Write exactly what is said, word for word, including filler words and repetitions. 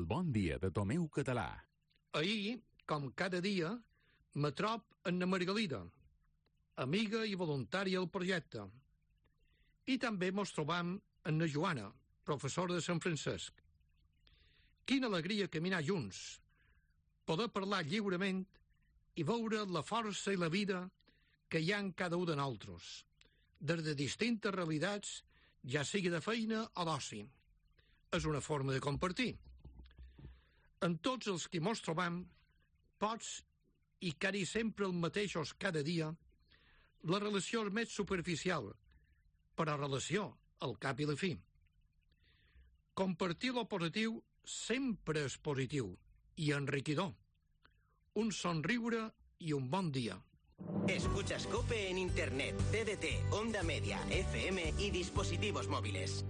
El bon dia de Tomeu Català. Ahir, com cada dia, me trob en na Margalida, amiga i voluntària del projecte. I també mos trobam en na Joana, professora de Sant Francesc. Quina alegria caminar junts, poder parlar lliurement i veure la força i la vida que hi ha en cada un de nosaltres, des de distintes realitats, ja sigui de feina o d'oci. És una forma de compartir. En tots els que mos trobam, pots, i quasi sempre els mateixos cada dia, la relació és més superficial, però relació, al cap i la fi. Compartir lo positiu sempre és positiu i enriquidor. Un somriure i un bon dia. Escuchas COPE en Internet, T D T, Onda Media, F M y dispositivos móviles.